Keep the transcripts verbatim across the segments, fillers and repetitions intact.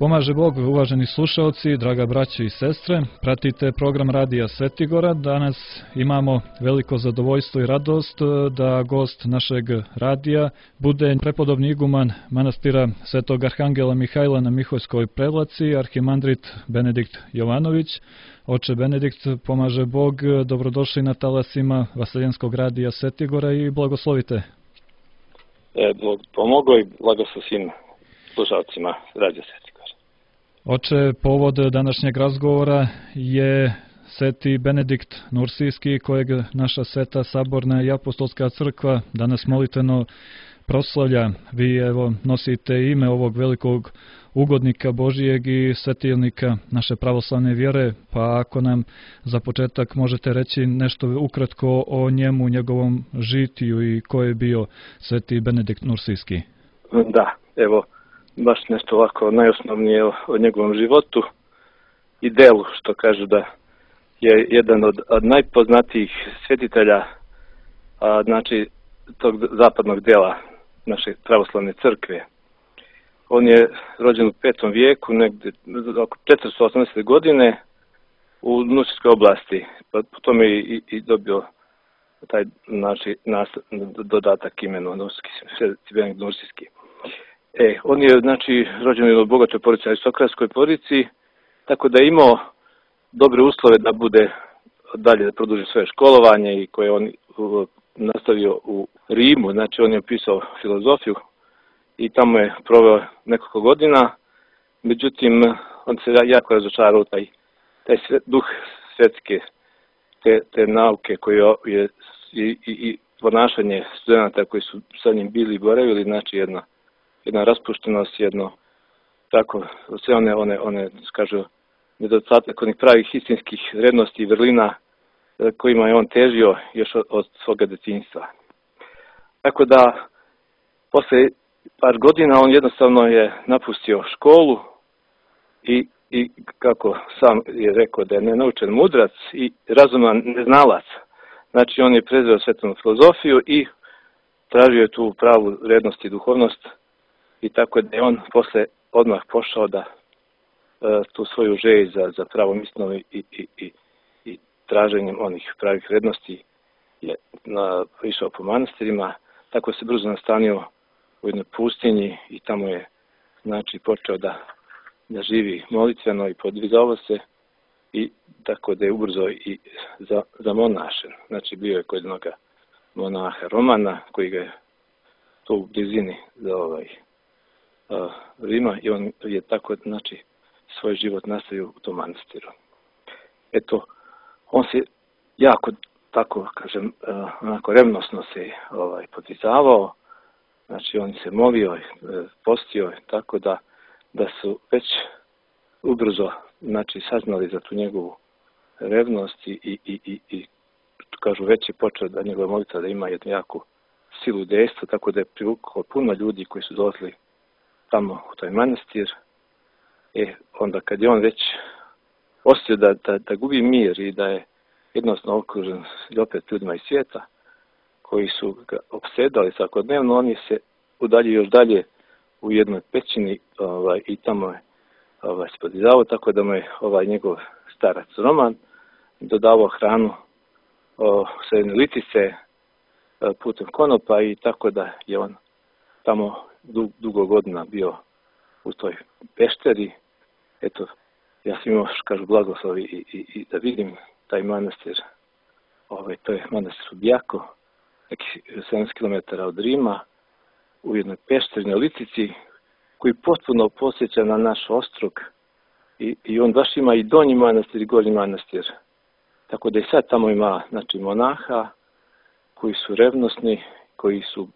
Pomaže Bog, uvaženi slušaoci, draga braćo i sestre, pratite program Radija Svetigora. Danas imamo veliko zadovoljstvo i radost da gost našeg radija bude prepodobni iguman manastira Svetog Arhangela Mihajla na Miholjskoj Prevlaci, arhimandrit Benedikt Jovanović. Oče Benedikt, pomaže Bog, dobrodošli na talasima Vaseljenskog radija Svetigora i blagoslovite. E, Bog pomogao i blagoslov svim slušalcima Radija Svetigora. Oče, povod današnjeg razgovora je Sveti Benedikt Nursijski, kojeg naša Sveta Saborna i Apostolska crkva danas molitveno proslavlja. Vi evo nosite ime ovog velikog ugodnika Božijeg i svetilnika naše pravoslavne vjere, pa ako nam za početak možete reći nešto ukratko o njemu, njegovom žitiju i ko je bio Sveti Benedikt Nursijski. Da, evo, baš nešto ovako najosnovnije o, o njegovom životu i delu, što kažu da je jedan od, od najpoznatijih svetitelja, a, znači tog zapadnog dela naše pravoslavne crkve. On je rođen u petom vijeku, negdje oko četiristo osamdesete godine u Nursijskoj oblasti, pa potom je i, i dobio taj znači, nas, dodatak imenu Nursijski, Sveti Benedikt Nursijski. E, on je, znači, rođen u bogatoj porodici, aristokratskoj porodici, tako da je imao dobre uslove da bude dalje, da produži svoje školovanje i koje on uh, nastavio u Rimu, znači on je pisao filozofiju i tamo je proveo nekoliko godina, međutim, on se jako razočarao taj, taj sve, duh svetske, te, te nauke koje je i, i, i ponašanje studenta koji su sa njim bili i boravili, znači jedna jedna raspuštenost, jedno tako, sve one, one, one kažu, nedostatak onih pravih istinskih vrednosti i vrlina kojima je on težio još od, od svoga detinjstva. Tako da, posle par godina on jednostavno je napustio školu i, i kako sam je rekao da je nenaučen mudrac i razuman neznalac. Znači on je prezreo svetovnu filozofiju i tražio je tu pravu vrednost i duhovnost. I tako da je on posle odmah pošao da e, tu svoju želju za, za pravom istinom i, i, i, i traženjem onih pravih vrednosti je na, išao po manastirima. Tako se brzo nastanio u jednoj pustinji i tamo je znači počeo da, da živi molitveno i podvizavao se i tako da je ubrzo i za, za monašen. Znači bio je kod jednog monaha Romana koji ga je tu u blizini za ovaj Rima i on je tako, znači, svoj život nastavio u tom manastiru. Eto, on se jako, tako kažem, onako revnosno se ovaj, podvizavao, znači on se molio, postio, tako da, da su već ubrzo, znači, saznali za tu njegovu revnost i, i, i, i, i kažu, već je počeo da njegova molitva da ima jednu jaku silu dejstva, tako da je privukao puno ljudi koji su dolazili tamo u taj manastir. E, onda kad je on već osjetio da, da, da gubi mir i da je jednostavno okružen opet ljudima iz svijeta koji su ga opsedali svakodnevno, on je se udaljio još dalje u jednoj pećini ovaj, i tamo je ovaj, spodizavao, tako da mu je ovaj njegov starac Roman dodavao hranu o, sa jedne litice putem konopa i tako da je on tamo dugo godina bio u toj pešteri. Eto, ja sam imao, kažu, blagoslovi i, i, i da vidim taj manastir. Ovaj, to je manastir u Bijako, nekih sedamdeset kilometara od Rima, u jednoj pešternoj litici, koji potpuno posjeća na naš ostrog. I, i on baš ima i donji manastir i gornji manastir. Tako da i sad tamo ima, znači, monaha koji su revnosni, koji su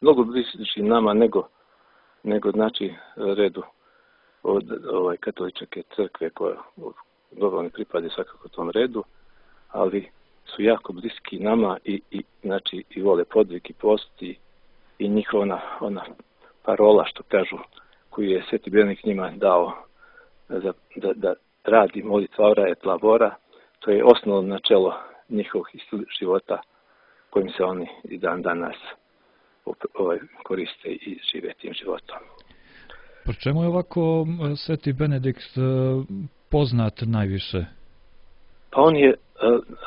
mnogo bliži nama nego, nego znači, redu od ovaj, katoličke crkve koja dobro ne pripada svakako tom redu, ali su jako bliski nama i, i, znači, i vole podvig i post i, i njihova ona, ona parola, što kažu, koju je Sveti Benedikt njima dao za, da, da radi molitva ora et labora, to je osnovno načelo njihovog života kojim se oni i dan danas ovaj, koriste i žive tim životom. Po čemu je ovako Sveti Benedikt poznat najviše? Pa on je,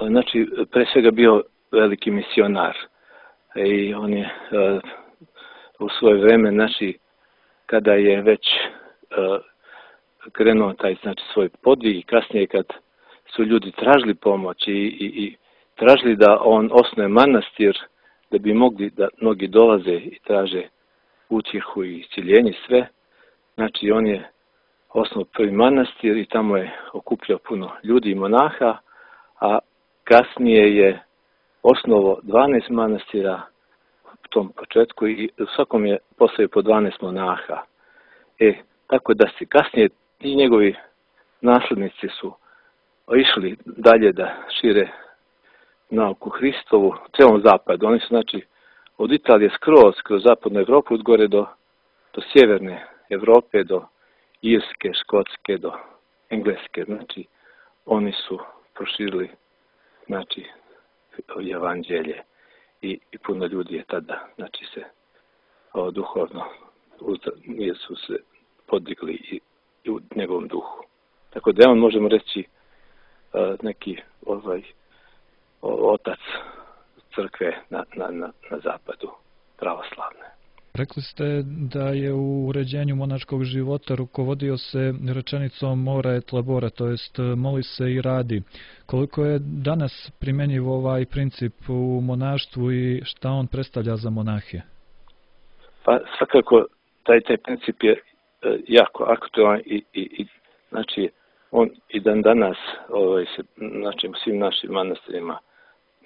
znači, pre svega bio veliki misionar i on je u svoje vreme, znači, kada je već krenuo taj, znači, svoj podvig i kasnije kad su ljudi tražili pomoć i, i, i tražili da on osnuje manastir, da bi mogli da mnogi dolaze i traže utjehu i isciljenje sve. Znači, on je osnovao prvi manastir i tamo je okupljao puno ljudi i monaha, a kasnije je osnovao dvanaest manastira u tom početku i u svakom je postavio po dvanaest monaha. E, tako da se kasnije i njegovi naslednici su išli dalje da šire nauku Hristovu u celom zapadu. Oni su, znači, od Italije skroz, kroz zapadnu Evropu, od gore do, do sjeverne Evrope, do Irske, Škotske, do Engleske. Znači, oni su proširili, znači, evanđelje i, i puno ljudi je tada, znači, se o, duhovno su se podigli i, i u njegovom duhu. Tako da on, možemo reći, neki ovaj otac crkve na, na, na, na zapadu pravoslavne. Rekli ste da je u uređenju monaškog života rukovodio se rečenicom ora et labora, to jest moli se i radi. Koliko je danas primjenjiv ovaj princip u monaštvu i šta on predstavlja za monahe? Pa svakako taj, taj princip je jako aktualan i, i, i znači on i dan danas ovaj, se, znači, u svim našim manastirima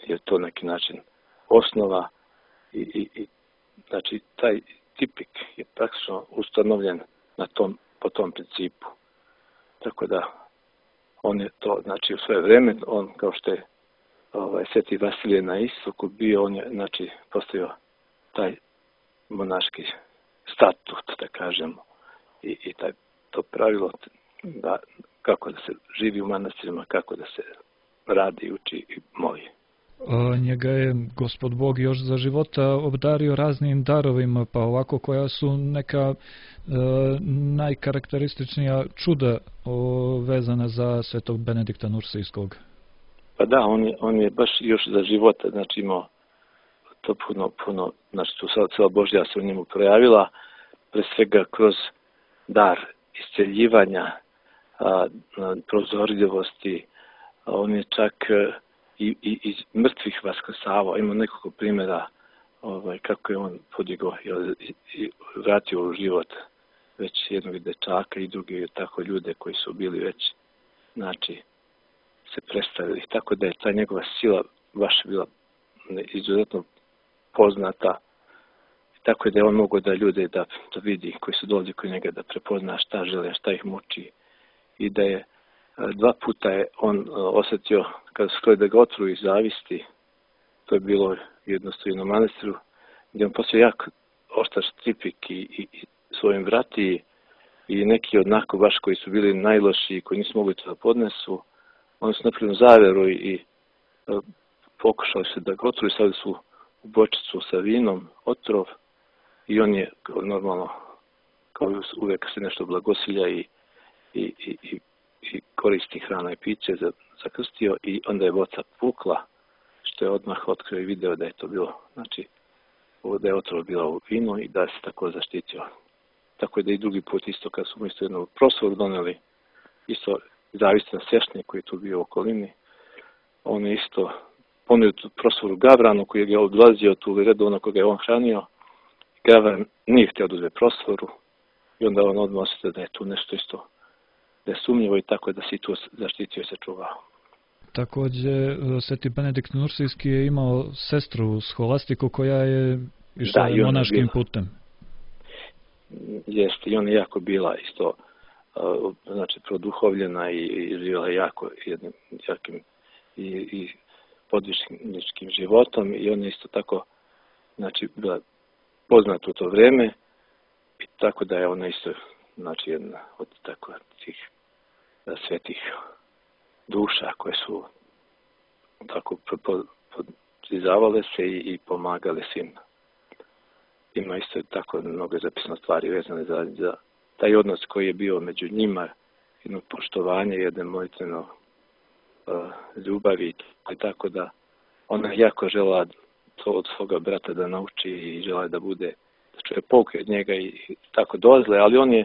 je to neki način osnova i, i, i znači taj tipik je praktično ustanovljen na tom, po tom principu. Tako da on je to, znači, u svoje vreme, on kao što je ovaj, Sveti Vasilije na istoku bio, on je, znači, postavio taj monaški statut, da kažemo, i, i taj, to pravilo da kako da se živi u manastirima, kako da se radi, uči i moli. O, njega je Gospod Bog još za života obdario raznim darovima, pa ovako koja su neka e, najkarakterističnija čuda o, vezana za Svetog Benedikta Nursijskog. Pa da, on je, on je baš još za života, znači imao to puno, puno, znači tu cela Božja se u njemu projavila, pre svega kroz dar isceljivanja, a, prozorljivosti, a on je čak i, i iz mrtvih vaskrsavao. Ima nekoliko primjera ovaj, kako je on podigao i, i vratio u život već jednog dečaka i drugi tako ljude koji su bili već, znači, se predstavili. Tako da je ta njegova sila baš bila izuzetno poznata. Tako da je on mogao da ljude da, da vidi koji su dolazili kod njega, da prepozna šta žele, šta ih muči. I da je dva puta je on osjetio kada su htjeli da ga otruju iz zavisti. To je bilo jednostavno u manastiru, gdje on poslije jak oštar štripik i, i, i svojim vrati i neki odnako baš koji su bili najlošiji, koji nisu mogli to da podnesu. Oni su napravili zaveru i, i pokušali se da ga otruju, stavili su u bočicu sa vinom, otrov, i on je normalno, kao uvijek se nešto blagosilja i, i, i, i koristi hrana i piće za, zakrstio i onda je boca pukla, što je odmah otkrio i video da je to bilo, znači, da je otrov bila u vinu i da se tako zaštitio. Tako je da i drugi put isto, kad su mu isto jednu prosvoru doneli, isto zavisno na sveštenje koji je tu bio u okolini, on je isto ponudio tu prosvoru Gavranu koji je odlazio tu redovno koga je on hranio. Gavran nije htio da uzme prosvoru i onda on odmah osjetio da je tu nešto isto, da je sumnjivo i tako da se i tu zaštitio i sačuvao. Također, Sveti Benedikt Nursijski je imao sestru Scholastiku koja je išla da, monaškim putem. Jeste, i ona je jako bila isto, znači, produhovljena i, i živjela jako jednim jakim i, i podvižničkim životom i ona je isto tako, znači, bila poznata u to vreme i tako da je ona isto, znači, jedna od tako tih svetih duša koje su tako podizavale se i, i pomagale svim. Ima isto tako mnogo zapisano stvari vezane za, za taj odnos koji je bio među njima, jedno poštovanje, jedno molitveno uh, ljubavi i tako da ona je jako žela to od svoga brata da nauči i žela da bude, da čuje pouke od njega i, i tako dolazile, ali on je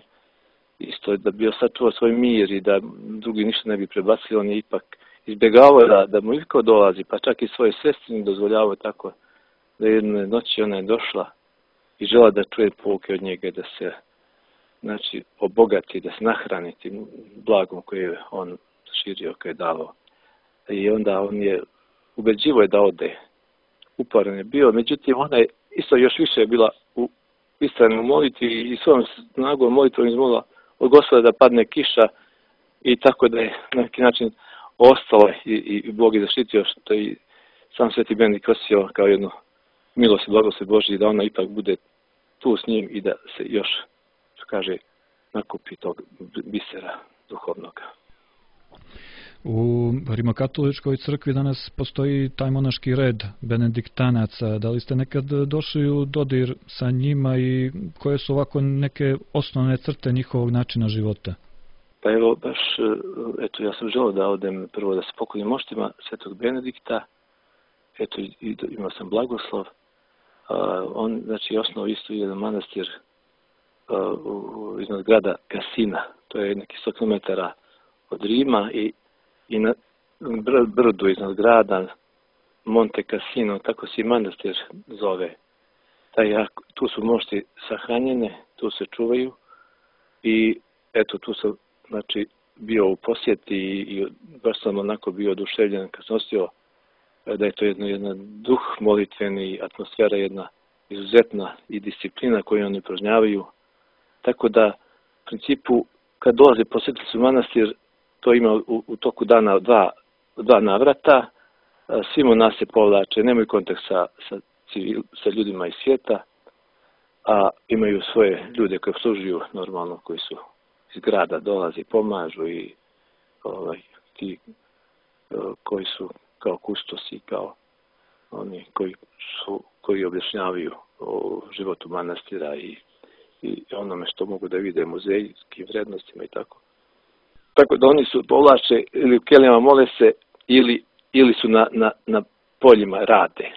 isto da bi osačuvao svoj mir i da drugi ništa ne bi prebacili, on je ipak izbjegavao da, da mu ikako dolazi, pa čak i svoje sestri dozvoljavao tako da jedne noći ona je došla i žela da čuje pouke od njega, da se znači obogati, da se nahrani tim blagom koje je on širio, koje je davao. I onda on je ubeđivo je da ode. Uporan je bio, međutim ona je isto još više bila u istrajnoj molitvi i svojom snagom molitvom izmolila od Gospoda da padne kiša i tako da je na neki način ostala i, i Bog je zaštitio što i sam Sveti Benedikt osjetio kao jednu milost i blagoslov Božji da ona ipak bude tu s njim i da se još, što kaže, nakupi tog bisera duhovnog. U Rimokatoličkoj crkvi danas postoji taj monaški red benediktanaca. Da li ste nekad došli u dodir sa njima i koje su ovako neke osnovne crte njihovog načina života? Pa evo, baš, eto, ja sam želeo da odem prvo da se poklonim moštima Svetog Benedikta. Eto, i, i, imao sam blagoslov. Uh, on, znači, osnovao isto jedan manastir uh, u, iznad grada Cassina. To je neki sto kilometara od Rima i i na br brdu iznad grada Monte Cassino, tako se i manastir zove. Taj, tu su mošti sahranjene, tu se čuvaju i eto tu sam znači, bio u posjeti i, i baš sam onako bio oduševljen kad sam osjetio da je to jedno, jedna duh molitveni, atmosfera jedna izuzetna i disciplina koju oni upražnjavaju. Tako da, u principu, kad dolaze posjetitelji u manastir, to ima u, u toku dana dva, dva navrata, svi monasi se povlače, nemaju kontakt sa, sa, civil, sa ljudima iz svijeta, a imaju svoje ljude koje obslužuju normalno, koji su iz grada dolazi, pomažu i ovaj, ti koji su kao kustosi, kao oni koji su koji objašnjavaju o životu manastira i, i onome što mogu da vide muzejskim vrednostima i tako. Tako da oni su povlače ili u kelijama mole se ili, ili su na, na, na poljima rade.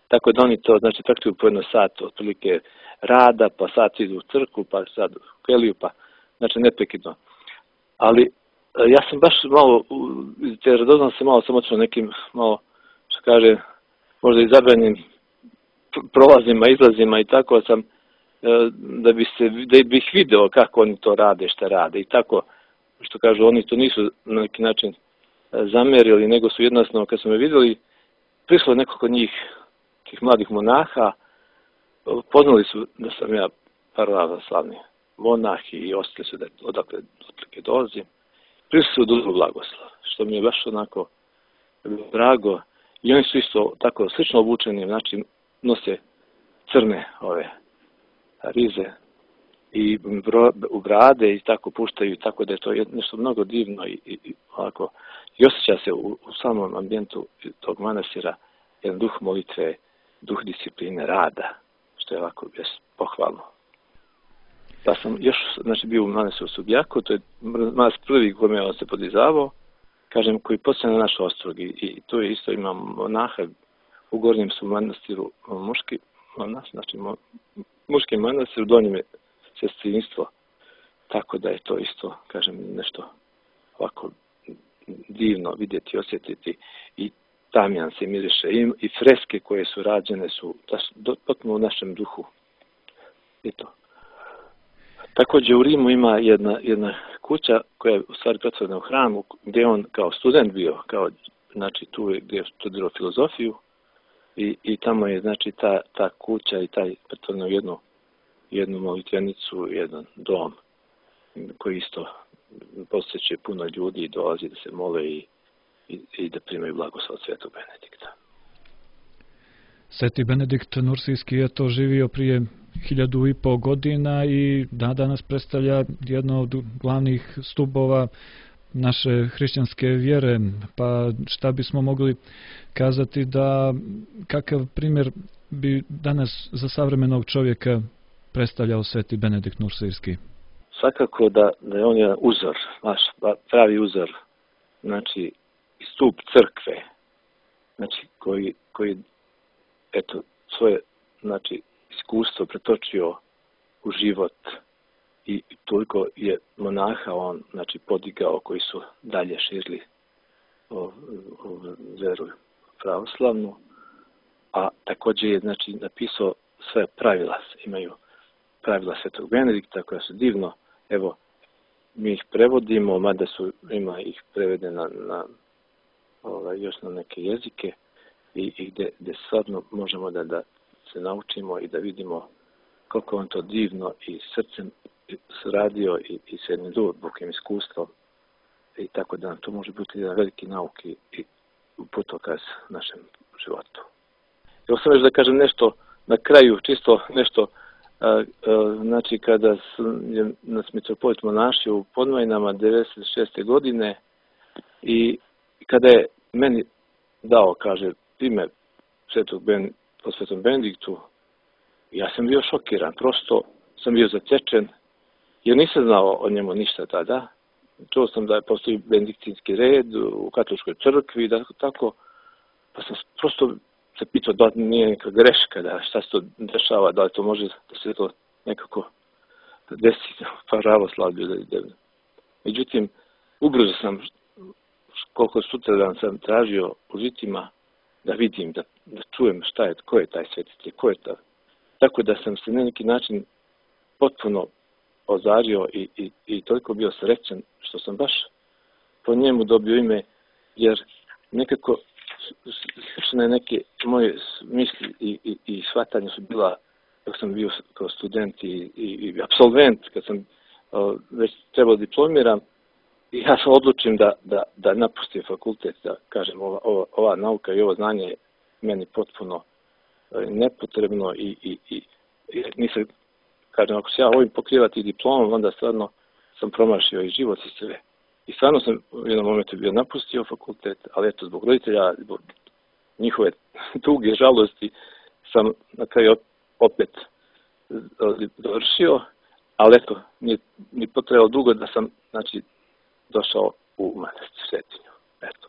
Tako da oni to znači praktikuju po jedno sat otprilike rada, pa sat idu u crkvu, pa sad u keliju, pa znači neprekidno. Ali ja sam baš malo, te radoznam se malo sam otišao nekim malo, što kaže, možda i zabranjenim prolazima, izlazima i tako sam, da bi se, da bih video kako oni to rade, šta rade i tako, što kažu, oni to nisu na neki način zamerili, nego su jednostavno, kad su me vidjeli, prišlo nekoliko njih, tih mladih monaha, poznali su da sam ja pravoslavni monah i ostali su da odakle otprilike dolazim. Prišli su dužu blagoslov, što mi je baš onako drago. I oni su isto tako slično obučeni, znači nose crne ove rize i u brade i tako puštaju, tako da je to nešto mnogo divno i, i, i ovako. I osjeća se u, u samom ambijentu tog manastira jedan duh molitve, duh discipline, rada, što je ovako pohvalno. Pa sam još, znači, bio u manastiru Subjaku, to je manastir prvi kome on se podizavao, kažem, koji poslije na naš ostrog i, i tu je isto imam monaha, u gornjem su manastiru muški monas, znači mo, muški manastir, u donjem je sestrinstvo, tako da je to isto, kažem, nešto ovako divno vidjeti, osjetiti i tamjan se miriše i, i freske koje su rađene su potpuno u našem duhu. I to. Također u Rimu ima jedna, jedna kuća koja je u stvari pretvorena u hramu, gdje on kao student bio, kao, znači tu je gdje je studirao filozofiju i, i tamo je znači ta, ta kuća i taj pretvorena u jednu, jednu molitvenicu, jedan dom koji isto posjeće puno ljudi i dolazi da se mole i, i, i da primaju blagoslov od Svetog Benedikta. Sveti Benedikt Nursijski je to živio prije hiljadu i pol godina i da danas predstavlja jedno od glavnih stubova naše hrišćanske vjere. Pa šta bismo mogli kazati da kakav primjer bi danas za savremenog čovjeka predstavljao Sveti Benedikt Nursijski? svakako da, da je on jedan uzor, naš pravi uzor, znači stup crkve, znači koji, koji eto, svoje znači, iskustvo pretočio u život i toliko je monaha on znači, podigao koji su dalje širili o, o veru pravoslavnu, a također je znači, napisao sve pravila, imaju pravila Svetog Benedikta koja su divno, evo, mi ih prevodimo, mada su, ima ih prevedena na, ovaj, još na neke jezike i, i gde, gde stvarno možemo da, da se naučimo i da vidimo koliko on to divno i srcem radio i, i s jednim dubokim iskustvom i tako da to može biti jedan veliki nauk i, i putokaz našem životu. Evo sam već da kažem nešto na kraju, čisto nešto, a, a, znači kada je nas mitropolit monašio u Podmajinama devedeset šeste godine i kada je meni dao, kaže, ime Svetog Ben, po Svetom Benediktu, ja sam bio šokiran, prosto sam bio zatečen, jer nisam znao o njemu ništa tada. Čuo sam da je postoji benediktinski red u katoličkoj crkvi, da tako, pa sam prosto se pitao da nije neka greška, da šta se to dešava, da li to može da se to nekako desi u pravoslavlju. Međutim, ubrzo sam, koliko sutradan sam tražio u žitima, da vidim, da, da čujem šta je, ko je taj svetitelj, ko je ta. Tako da sam se na neki način potpuno ozario i, i, i toliko bio srećan što sam baš po njemu dobio ime, jer nekako slične neke moje misli i, i, i shvatanja su bila dok sam bio kao student i, i, i absolvent, kad sam o, već trebao diplomiram, i ja sam odlučim da, da, da napustim fakultet, da kažem ova, ova, ova nauka i ovo znanje je meni potpuno nepotrebno i, i, i, i nisam, kažem, ako se ja ovim pokrivati diplomom, onda stvarno sam promašio i život i sve. I stvarno sam u jednom momentu bio napustio fakultet, ali eto, zbog roditelja, zbog njihove tuge, žalosti, sam na kraju opet dovršio, ali eto, nije, nije potrebalo dugo da sam, znači, došao u manastir Svetinju. Eto.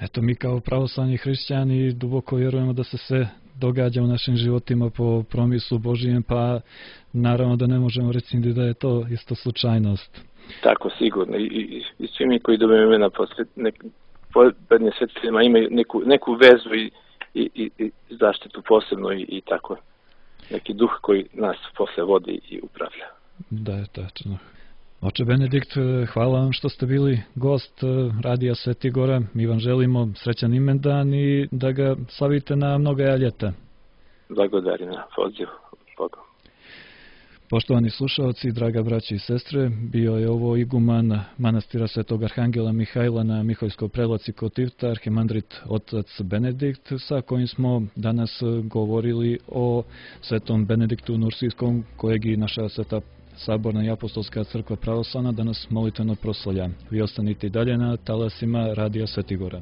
Eto, mi kao pravoslavni hrišćani duboko vjerujemo da se sve događa u našim životima po promislu Božijem, pa naravno da ne možemo reći da je to isto slučajnost. Tako, sigurno. I, i, i svi mi koji dobijemo imena po prednje svetiteljima imaju neku, neku vezu i, i, i, i zaštitu posebno i, i tako. Neki duh koji nas posle vodi i upravlja. Da, je tačno. Oče Benedikt, hvala vam što ste bili gost Radija Svetigora. Mi vam želimo srećan imendan i da ga slavite na mnoga ljeta. Blagodari na poziv Bogom. Poštovani slušalci, draga braći i sestre, bio je ovo iguman manastira Svetog Arhangela Mihajla na Miholjskoj prelaci kod Tivta, arhimandrit otac Benedikt, sa kojim smo danas govorili o Svetom Benediktu Nursijskom, kojeg i naša Sveta Saborna i Apostolska crkva pravoslavna danas molitveno proslavlja. Vi ostanite i dalje na talasima Radija Svetigora.